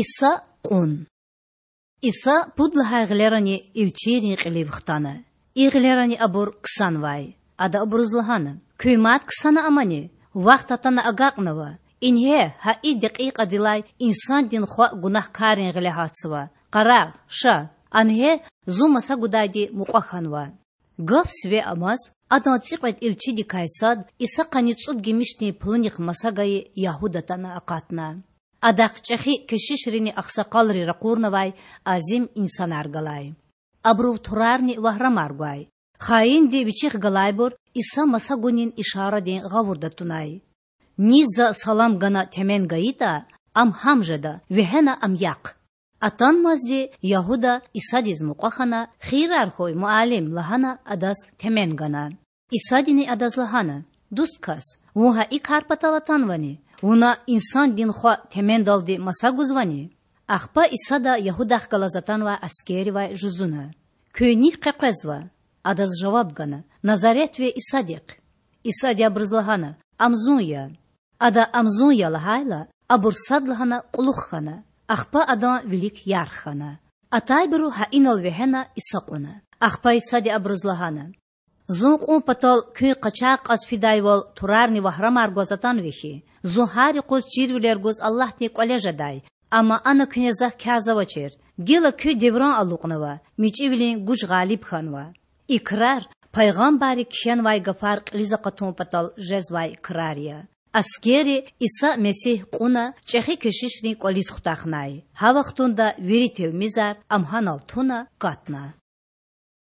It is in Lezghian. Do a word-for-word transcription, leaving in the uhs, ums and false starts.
Иса кьун. Иса пуд лагьай гъилерани илчийрин кьилив хтана. И гъилерани абур ксанвай. Ада абуруз лагьана: Куьн мад ксана амани? Вахт атана агакьнава. Ингье, гьа и декьикьадилай Инсандин Хва гунагькаррин гъиле гьатзава. Къарагъ, ша, ангье, Зун маса гудайди мукьва хьанва. Гаф сиве амаз, Адан цӀикьвед илчидикай сад, Иса къанни цӀуд гимишдин пулунихъ маса гайи Ягьуда атана акъатна. Адахъ чӀехи кешишрини агъсакъалри ракъурнавай азим инсанар галай. Абурув турарни вагьрамар гвай. Хаинди вичихъ галайбур Иса маса гунин ишарадин гъавурда тунай. Низ За салам гана темен гайитӀа, ам гьам жеда, вегьена ам яхъ. Атанмазди Ягьуда Исадиз мукьва хьана, хийирар хьуй, Муаллим! лагьана, Адаз темен гана. Исадини адаз лагьана: Дуст кас, вун гьа и кар патал атанвани? Вуна Инсандин Хва темендалди маса гузвани? Ахпа Исада Ягьудахъ галаз атанвай аскерривай жузуна: Куьн нихъ къекъвезва? Адаз жаваб гана: Назаретви Исадихъ. Исади абуруз лагьана: Ам Зун я. Ада Ам Зун я лагьайла, абур садлагьана кьулухъ хьана, ахпа Адан вилик ярх хьана. Атайбуру гьа инал вегьена Иса кьуна. Ахпа Исади абуруз лагьана: Зун кьун патал куьн къачагъ кьаз фидайвал турарни вагьрамар гваз атанва хьи? Зун гьар юкъуз чирвилер гуз Аллагьдин кӀвале жедай, амма ана куьне Захъ кязавачир. Гила куь девран алукьнава, мичӀивилин гуж гъалиб хьанва. И крар пайгъамбарри кхьенвай гафар кьилиз акъатун патал жезвай крар я. Аскерри Иса Месигь кьуна чӀехи кешишрин кӀвализ хутахнай. Гьа вахтунда вири тилмизар, Ам гьанал туна, катна.